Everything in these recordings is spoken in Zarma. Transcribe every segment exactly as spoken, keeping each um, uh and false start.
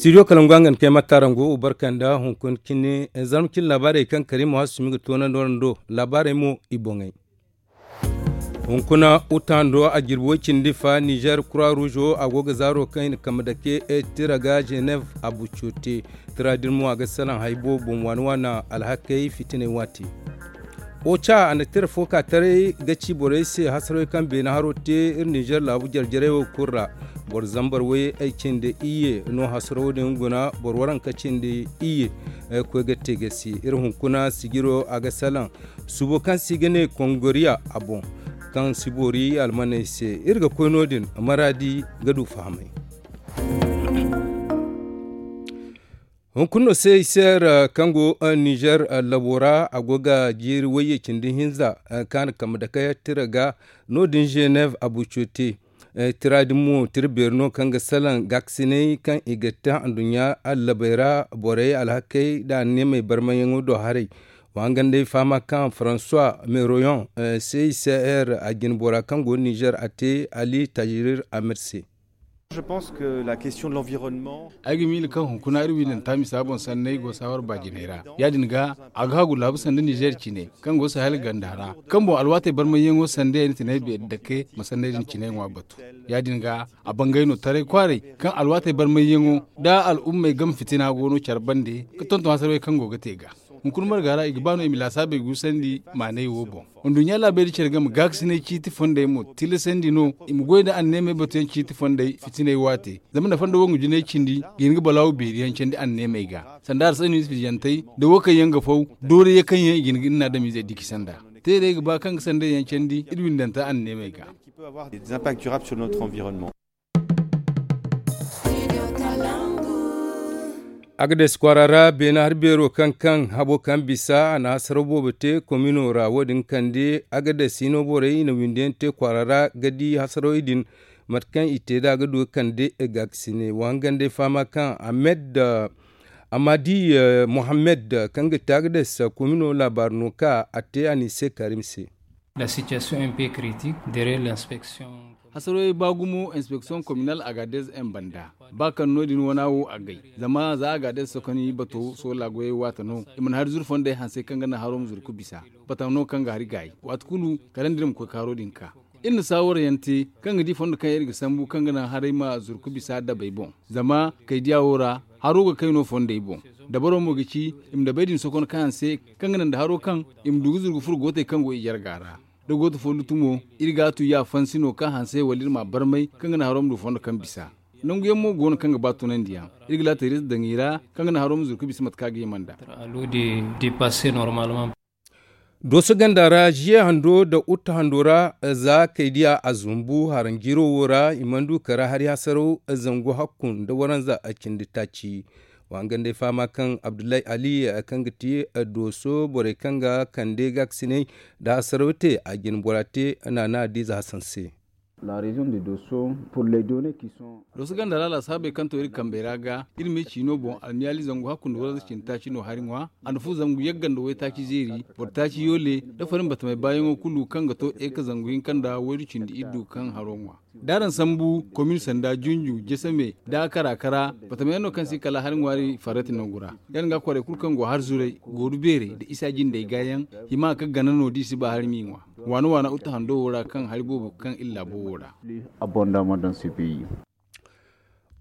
Studio kalangu a nga ni kay matta rango barka nda hunkuna cine zarma cine laabaarey kaŋ kariima waasi sumi ga toonandi wara ndo laabaarey mo i boŋey. Hunkuna uta hando a jirbi way cindi fa nizer kura ruuzo a go ga zaaro kaŋ i na kambe dake tira ga zenev abuco te. Tira din mo a ga salaŋ hari boobo boŋ waani waani alhakey fitiney waati. Oca a na tira fo ka taray ga ci borey se hasarey kaŋ beene haro te iri nizer laabu jarjarey wo kulu ra. Boro zambar way ay cindi iyye no hasaro din guna boro waranka cindi iyye. Koy ga te ga si iri hunkuna sijiro a ga salaŋ subo kaŋ se i ga ne kongoriya a boŋ kaŋ si boori almaney se. Iri ga koy no- din maraadi ga du fahamay. Hunkuna no se i se ra kaŋ go nizer labo ra a go ga jiiri wayye cindi hinza kaŋ a na kambe dake tira ga no- din zenev abuco te. Tira din mo tira beeri no kaŋ ga salaŋ gaakasinay kaŋ i ga te handuɲɲa allabey ra borey alhakey nda anneemey barmayyaŋo do haray. Wa hangan day fahama kaŋ faransuwa meroyon se i se er a jine bora kaŋ go nizer a te ali tajirir amir se. Ay ga miila kaŋ hunkuna iri wiilanta misa boŋ sanney go saawar baajiney ra ya- din ga a ga hagu laabu sanda nizer cine kaŋ go sahel ganda ra kaŋ boŋ alwaatey barmayyaŋo sanda yaŋ ni tinay beeri dake ma sanney din cine ŋwa batu. Ya- din ga a bangay no taray kwaaray kaŋ alwaatey barmayyaŋo nda al'ummey game fitina go no care bande ga tonton hasarey kaŋ go ga te ga. Hunkuna marga ra i ga ba no i ma laasaabey guusandi maanay wo boŋ. Nduɲɲa laabey da care game gaakasinay ciiti fondey mo tilasandi no i ma goy nda anneemey batuyaŋ ciiti fondey fitiney waate. Zama nda fondo wo nga jinay cindi ga hin ga balaawo beeriyaŋ candi anneemey ga sanda arsay no i si fijantey nda wo kaŋ yaŋ ga faw dooriya kaŋ yaŋ i ga hin ga ni na adamizey diki sanda. Te day ga ba kaŋ ga sanday yaŋ candi iri windanta anneemey ga. Agades kwaara ra beene hari beero kaŋ kaŋ habo kaŋ bisa a na hasaraw boobo te komino ra wo- din kande agades hino borey i na windi yaŋ te kwaara ra ga di hasarawey din. Mate kaŋ i te nd'a ga du ga kande gaakasine wa hangan day fahama kaŋ ahmed amadi mohammed kaŋ ga te agades komino laabaari no ka a te a n'i se karim se. Hasarawey ba gumo inspeksiyoŋ kominal agadez en banda ba kaŋ no- din wana wo agay zama za agadez sokoni bato soola goyey waate no i mana hari zuru fondey hanse kaŋ ga naŋ haro ma zuru ga bisa bataŋ no kaŋ ga hari gaayi waati kulu kala nda iri ma koy ka haro din ka. Iri na saawarayaŋ te kaŋ ga di fondo kaŋ iri ga sambu kaŋ ga naŋ haray ma zuru ga bisa dabey boŋ. Zama kaydiya wo ra haro ga kay no fondey boŋ. Dabaro mo ga ci i ma dabey din sokon kaŋ hanse kaŋ ga naŋ nda haro kaŋ i ma du ga zuru ga furo gootey kaŋ go i jarga ra. Da gooto fo lutu mo iri ga a tu ya fansi no kaŋ hanse wala iri m'a barmay kaŋ ga naŋ haro ma du fondo kaŋ bisa. Nangu yaŋ mo go no kaŋ ga ba tunandiyaŋ. Iri ga laatayrayze daŋ i ra kaŋ ga naŋ haro ma zuru ga bisa mate kaŋ a ga hima nd'a. Dooso ganda ra ziye hando nda utte hando ra za kay diya a zumbu haranjiiro wo ra i mana du kara hari hasaraw zangu hakku nda waranza cindi taaci. Wa hangan day fahama kaŋ abdullahi ali kaŋ ga ti dooso borey kaŋ ga kande gaakasinay nda hasaraw te a jine bora te naana adiize hasan se. Dooso ganda ra laasaabey kaŋ to iri kambey ra ga iri me ciino boŋ almiyaali zangu hakku nda waranza cindi taaci no hari ŋwa. A na fu zangu yagga nda waytaaci zeeri boro taaci yoole nda farin batamey baayaŋo kulu kaŋ ga to eka zangu hinka nda waydu cindi iddu kaŋ haro ŋwa. D'araŋ sambu komin sanda junju jesame da kara kara batamey yaŋ no kaŋ si kala hari ŋwaari farrati nangu ra. Yaŋ ga kwaarey kulu kaŋ go hari zuray gooru beerey nda isa jindey gaayaŋ hima ka gana no da i si ba hari m'i ŋwa. Waana waana utte hando wo ra kaŋ hari boobo kaŋ iri laabo wo ra.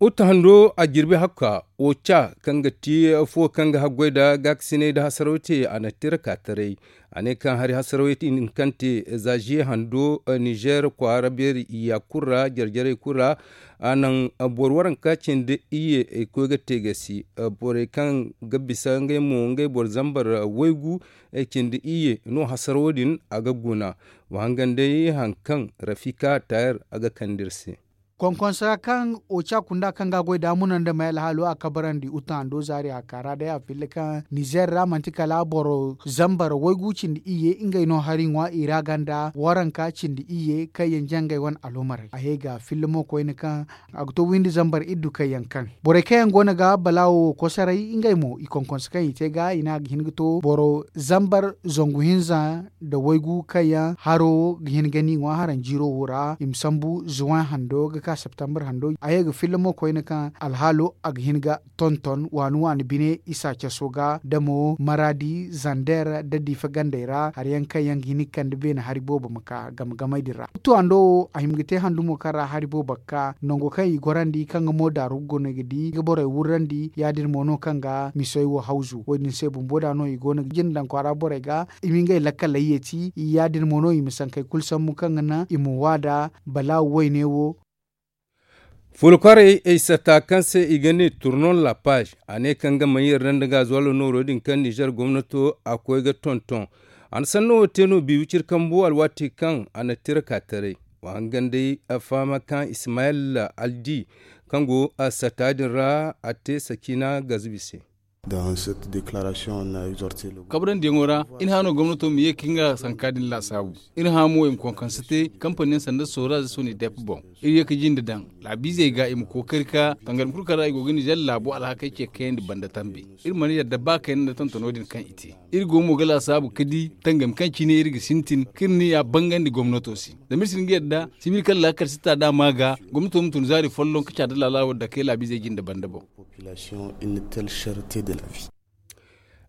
Utte hando a jirbi hakka oca kaŋ ga ti fuwo kaŋ ga haggoy nda gaakasinay nda hasaraw te a na tira ka taray. A ne kaŋ hari hasarawey din kaŋ te za ziye hando nizer kwaara beeri iyya kulu ra jarjarey kulu ra. A naŋ boro waranka cindi iyye ay koy ga te gasi borey kaŋ ga bisa ngey mo ngey boro zambar waygu cindi iyye no hasarawo din a ga guna. Wa hangan day haŋ kaŋ rafika tayar a ga kande iri se. Konkonsa kaŋ oca kunda kaŋ ga a goy da muna nda may alhaalo a kabarandi uta hando zaari a kaara day a filla kaŋ nizer ra manti kala boro zambar waygu cindi iyye ngey no hari ŋwa i ra ganda waranka cindi iyye kaŋ yaŋ jangay wane alhumarey a ye ga filla mo koyne kaŋ a ga to windi zambar iddu kaŋ yaŋ kaŋ borey kaŋ yaŋ go no ga balaawo kosoray ngey mo i konkonsa kaŋ i te ga i ne a ga hin ga to boro zambar zangu hinza nda waygu kaŋ yaŋ haro ga hin ga ni ŋwa haranjiiro wo ra i ma sambu zuwan hando ga Septembre hando a ye ga filla mo koyne kaŋ alhaalo a ga hin ga tonton waani waani bine isa caso ga damo maradi zander da diifa gandey ra hari yaŋ kaŋ yaŋ ga hin ga kande beene hari boobo ma ka game gamey din ra. Tuwando wo a hima ga te handumo kaŋ ra hari boobo ga ka nango kaŋ i gorandi kaŋ ga mo daaru ga guna ga di ga borey wurrandi ya- din mo no kaŋ ga misoy wo hawzu wo- din se bumbo da no i go no ga jina daŋ kwaara borey ga i ma ngey lakkaley yeeti ya- din mo no i ma sankey kulu sambu kaŋ ga naŋ i ma waada balaawu wayne wo. Fuula kwaarey ay satta kaŋ se i ga ne turnon la page a ne kaŋ ga maŋ yarda nda gaazuwalo nooro din kaŋ nizer gomnato a koy ga tonton. A na sanno wo te no biibi ciri kambu alwaati kaŋ a na tira ka taray wa hangan day a fahama kaŋ ismayel aldi kaŋ go a satta din ra a te sakina gazubi se. Kabrandi yaŋo ra iri hã no gomnato ma ye ka nga sanka din laasaabu. Iri hã mo i ma konkonse te kampani yaŋ sanda sooraze soni dep boŋ. Iri ye ka jinde daŋ laabiizey ga i ma kookari ka tangari ma kulu kaŋ ra i go ga nizer laabo alhakey ce kayandi banda tambe. Iri mana yadda ba kayna nda tontono din kaŋ i te. Iri go mo ga laasaabu ka di tangami kaŋ cine iri ga sintin ka iri ni ya bangandi gomnato se. Zama iri si hin ga yadda sibil kaŋ laakal si ta da a ma ga gomnato ma tun zaari folloŋ ka caada laala wo dake laabiizey jinde banda boŋ.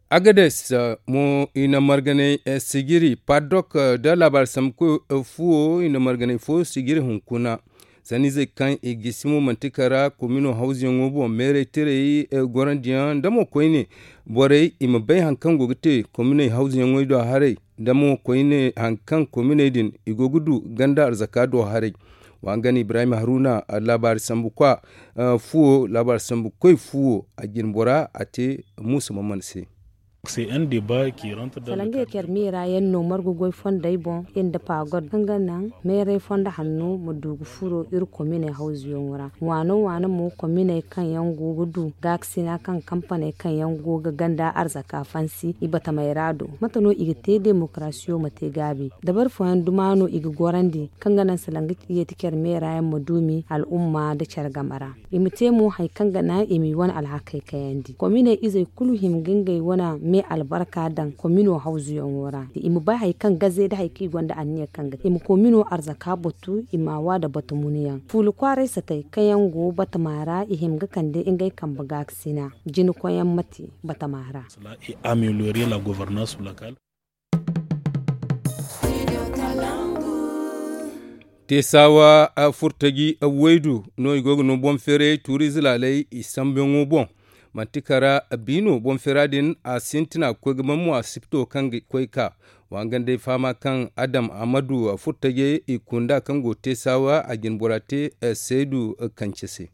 Agades mo i na marganay sijiri padok nda laabaari sambu koy fuwo i na marganay fo sijiri hunkuna. Sanniizey kaŋ i gisi mo manti kara komino hawzuyaŋo boŋ meeray tiray gorandiyaŋ nda mo koyne borey i ma bay hari kaŋ go ga te kominey hawzuyaŋey do haray nda mo koyne hari kaŋ kominey din i go ga du ganda arzaka do haray. Wa nga no ibrahim haruna laabaari sambu kwa fuwo laabaari sambu koy fuwo a jine bora a te muusa maman se. Salangey care meera yaŋ no margu goy fondey boŋ iri nda pagod kaŋ ga naŋ meeray fondo hanno ma du ga furo iri kominey hawzuyaŋo ra. Waano waano mo kominey kaŋ yaŋ go ga du gaakasina kaŋ kampaney kaŋ yaŋ go ga ganda arzaka fansi i batamey ra do mate no i ga te demokarasiyo ma te gaabi dabari fooyaŋ duma no i ga gorandi kaŋ ga naŋ salanga yeeti care meera yaŋ ma duumi al'umma nda care game ra. I ma te mo hari kaŋ ga naŋ i m'i wane alhakey kayandi kominey izey kulu hima ga ngey wane me albarka daŋ komino hawzuyaŋo ra i ma bay hari kaŋ gaze nda hari kaŋ i gonda anniya kaŋ ga te i ma komino arzaka batu i m'a wa nda batu munuyaŋ fuula kwaaray satey kaŋ yaŋ go batama ra i hima ga kande ngey kambe gaakasina jinakoyyaŋ ma te batama ra. Teesawa furtaji waydu no i go ga no boŋ feeray tuuriize laaley i sambuyaŋo boŋ. Manti kara biino boŋ feera din a sintina ga koy ga ban mo a sipto kaŋ ga koy ka wangandey fahama kaŋ adam amadu furtajey i kunda kaŋ go teesawa a jine bora te saydu kance se.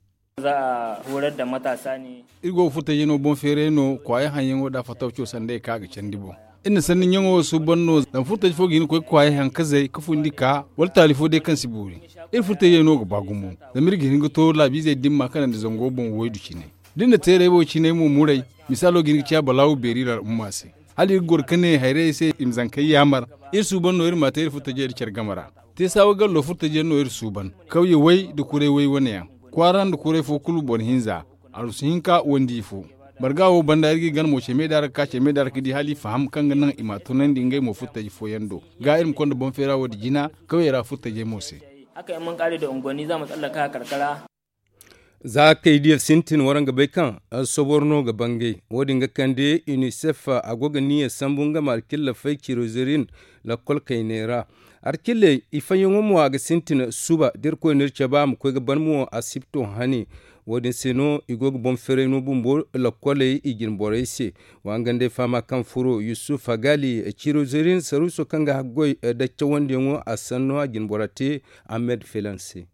Iri go ga furtajey no boŋ feeray no kwaayaŋ haŋyaŋo nda fatawco sanday kaŋ a ga candi boŋ. Iri na sanni ɲaŋo wo suuban no zama furtaji fo ga hin ga koy ga kwaayey haŋ ka zay ka fundi ka wala taali fo day kaŋ si boori. Iri furtajey no ga ba gumo zama iri ga hin ga to laabiizey dimma kanandi zango boŋ waydu cine. Da iri na teeray wo cinay mo muray, misaalo ga hin ga ciya balaawu beeri iri al'umma se. Hala iri ga goro ka ne hayrayey se i ma zankey yaamar. Iri suuban no iri m'a te iri furtajey nda care game ra. Teesawa gallo furtajey no iri suuban kawye way nda kuray way wane yaŋ. Kwaara nda kuray fo kulu boro hinza. Arusu hinka wandi fo. Marga wo banda iri ga i gana mo ceme da ra ga ka ceme da ra ga di hala i faham kaŋ ga naŋ i m'a tunandi ngey mo furtaji fooyaŋ do ga iri ma konda boŋ feera wo- din jina kawyey ra furtajey mo se. Za kay diya sintin waraŋ ga bay kaŋ soboro no ga bangay wo- din ga kande unicef a go ga niya sambu nga ma alkillafey cirozerin lakkol kayney ra. Alkilley i fayyaŋo mo a ga sintin suba da irkoy no iri cabe a ma koy ga ban mo asipto hane. Wo- din se no i go ga boŋ feeray no bumbo lakkoley i jine borey se. Wa nga nd'ay fahama kaŋ furo yusuf hagali cirozerin saruuso kaŋ ga haggoy da cawandiyaŋo a sanno a jine bora te. Ahmed felan se.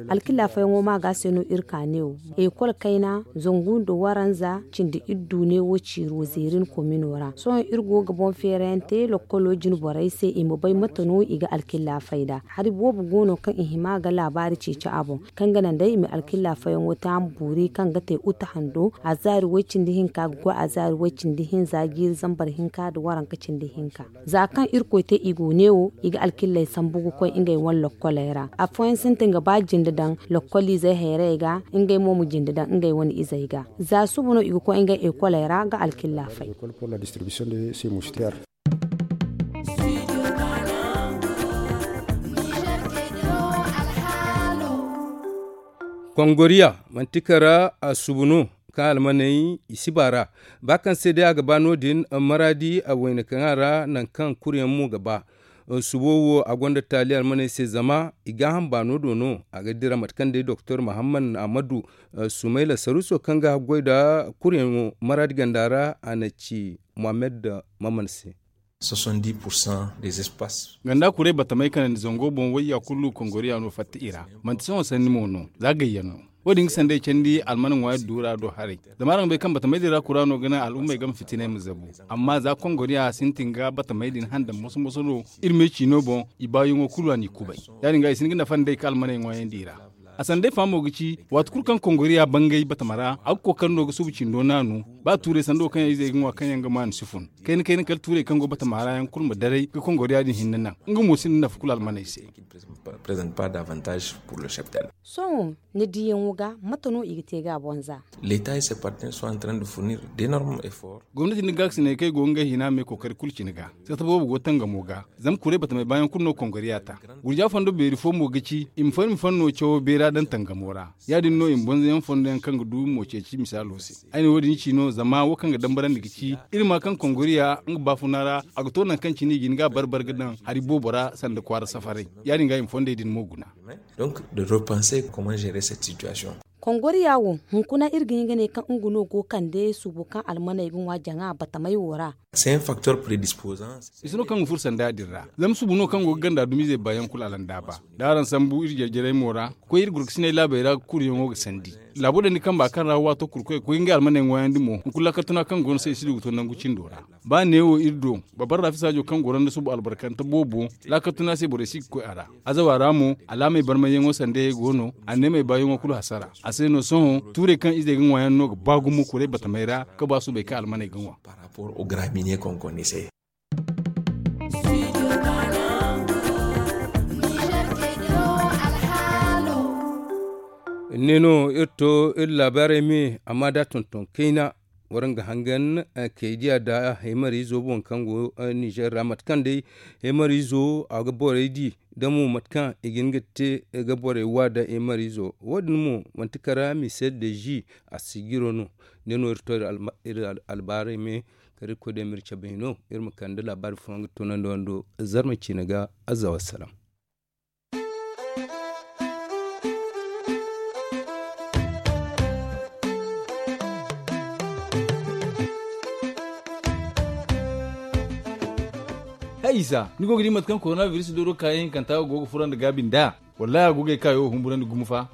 Alkilla fayyaŋo ma ga se no iri ka ne wo. Ekol kayna zangu nda waranza cindi iddu ne wo ciiro zeerin komino ra sohõ iri go ga boŋ feerayaŋ te lokkolo jine borey se i ma bay mate no i ga alkilla fay nd'a. Hari boobo go no kaŋ i hima ga laabaari ceeci a boŋ kaŋ ga naŋ day i ma alkilla fayyaŋo te a ma boori kaŋ ga te uta hando azaari way-cindi hinka ga koy azaari way-cindi hinza jiiri zambar hinka nda waranka cindi hinka. Za kaŋ irkoy te i go neewo i ga alkilley sambu ga koy ngey wane lokkoley ra afooyaŋ sintin ga ba jinde daŋ lokkoliizey hayrayey ga. Ngey mo ma jinde daŋ ngey wane izey ga za suba no i ga koy ngey ekoley ra ga alkilla fay. Kongoriya manti kara a subu no kaŋ almaney i si ba ra. Ba kaŋ se day a ga ba no- din, maraadi a wayna kaŋ a ra nangu kaŋ kuryaŋ mo ga ba. Subo wo a gonda taali almaney se zama i gaaham baano do no. A ga dira mate kaŋ day doktor muhammad ahmadu sumayla saruso kaŋ ga haggoy nda kuryaŋo maraadi ganda ra a na ci muhammad maman se. Ganda kuray batamey kanandi zango boŋ wayya kulu kongoriya no fatta i ra. Manti sohõ sanni mo no za gayyaŋ no. Wo- din ga sanday candi almana ŋwaari duura do haray. Zama araŋ bay kaŋ batamey din ra kura no ga naŋ al'ummey game fitiney ma zabu. Amma za kongoriya sintin ga batamey din handan moso-moso no. Iri me ciino boŋ i baayaŋo kulu a n'i kubay. Ya- din ga i si hin ga nafa nd'ey ka almaney ŋwaayandi i ra. A sanday fa mo ga ci waati kulu kaŋ kongoriya bangay batama ra a ga kookari no ga subu cindo naanu. Ba tuuray sanda wo kaŋ yaŋ izey ga ŋwa kaŋ yaŋ ga maanu si fun. Kayna-kayna kala tuuray kaŋ go batama ra yaŋ kulu ma daray ga kongoriya din hinne naŋ. Nga mo sinda nafa kulu almaney se. Sohõ ni diyaŋo ga mate no i ga te ga a boŋ za? Gomnati nda gaakasiney kaŋ i go ga ngey hina me kookari kulu cine ga. Sata boobo go tangamo ga. Zama kuray batamey baayaŋ kulu no kongoriya ta. Gurja fondo beeri fo mo ga ci i ma far i ma fanno cawo beera daŋ tangamo ra. Ya- din no i ma bonzoyaŋ fondo yaŋ kaŋ ga du mo ceeci misaalo se. Ay na wo- din ci no zama wo kaŋ ga dambarandi ga ci iri ma kaŋ kongoriya nga baafuna ra. A ga to nangu kaŋ cine i ga hin ga a bar-bar ga daŋ hari boobo ra sanda kwaara safaray. Ya- din ga i ma fondey din mo guna. Kongoriya wo hunkuna iri ga hin ga ne kaŋ nga no go kande subu kaŋ almaney ga ŋwa jaŋa batamey wo ra. I si no kaŋ ga furo sanda din ra. Zama subu no kaŋ go ga ganda dumizey baayaŋ kulu alandaaba. Da araŋ sambu iri jare-jarey mo ra ga koy iri gurkasiney laabey ra ga kuruyaŋo ga sandi. Laabo dandi kamba kaŋ ra waato kulu koy ga koy ngey almaney ŋwaayandi mo hunkuna laakal tuna kaŋ go no se i si du ga to nangu cindo ra. Ba neewo iri do babbar rafi saajo kaŋ goro nda subu albarkante boobo. Laakal tuna se borey si ga koy a ra. Azawa ra mo alaamey barmayyaŋo sandayey go no. Anneemey baayaŋo kulu hasara. A se no sohõ tuurey kaŋ izey ga ŋwa yaŋ no ga ba gumo kuray batamey ra ga ba subey kaŋ almaney ga ŋwa. Ni no iri to iri laabaarey me amma da tonton kayna. Waraŋ ga hangan kay diya nda heemariizo boŋ kaŋ go nizer ra mate kaŋ day heemariizo a ga borey di da mo mate kaŋ i ga hin ga te ga borey wa nda heemariizo. Wo- din mo manti kara mise de zi a si jiro no. Ne no iri to iri albaarey me kala irkoy day ma iri cabe hino iri ma kande laabaari fooyaŋ ga tunandi wando zarma ciine ga. Azza wassalam. Hay isa ni go ga di mate kaŋ korona biris dooro kaayaŋ hinkanta go ga fura nda gaabi nda? Wallahi a go ga ay kaayo humburandi gumo fa.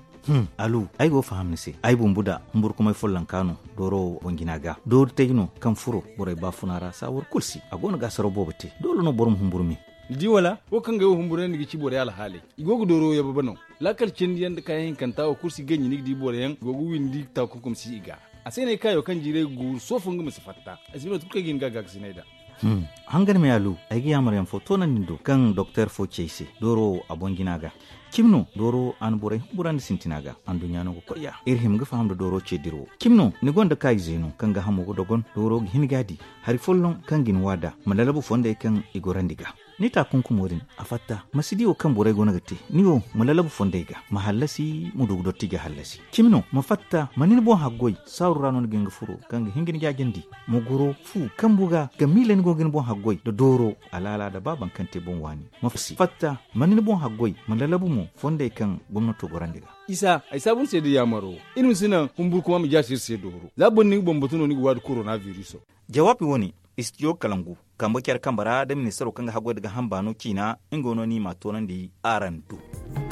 Alu, ay go ga faham ni se. Ay bumbu da humburkumay follonka no dooro wo boŋ jina ga doori tay no kaŋ furo borey baafuna ra saawar kulu se a go no ga asaraw boobo te doole no boro ma humburu me. Ni di wala wo kaŋ ga ay wo humburandi ga ci borey alhaaley i go ga dooro yababe no. Laakal cindi yaŋ nda kaayaŋ hinkanta wo kulu si ganji ni ga di boro yaŋ i go ga windi taakunkum si i ga. A se no ay kaayo kaŋ jiiray ga guuru soofo nga ma si fatta. Ay si no tun kaŋ ay ga hin ga a gaakasinay nd'a. Hangan me alu, ay ga yaamar yaŋ fo toonandi ni do kaŋ doktor fo ci ay se dooro wo a boŋ jina ga. Cimi no dooro wo a na borey humburandi sintina ga. Anduɲɲa no ga koy ya iri hima ga faham nda dooro ce dira wo. Cimi no ni gonda kaayize no kaŋ ga hamo ga dogon dooro ga hin ga a di hari folloŋ kaŋ ga ni wa nd'a ma lalabu fondey kaŋ i gorandi ga. Ni taakunkumo din a fatta ma si di wo kaŋ borey go no ga te. Ni wo ma lalabu fondey ga ma hallasi ma du ga dotti ga hallasi. Cimi no ma fatta ma ni ni boŋ haggoy saaru ra no ni ga hin ga furo kaŋ ga hin ga ni jaajandi. Ma goro fu kambu ga ga miila ni go ga ni boŋ haggoy nda dooro alaala nda ba baŋ kaŋ te boŋ waani. Ma fatta ma ni ni boŋ haggoy ma lalabu mo fondey kaŋ gomnato gorandi ga. Isa ay saabu ni se da yaamaro iri ma si naŋ humburkuma ma jaasi iri se dooro za boro ni ga bambatu no ni ga waadi korona biriso. Jawaabi wo-ne istijo kalangu kambe care kambe ra nda ministaro kaŋ ga haggoy nda gaaham baano ciina. Nga no ni m'a toonandi araŋ do.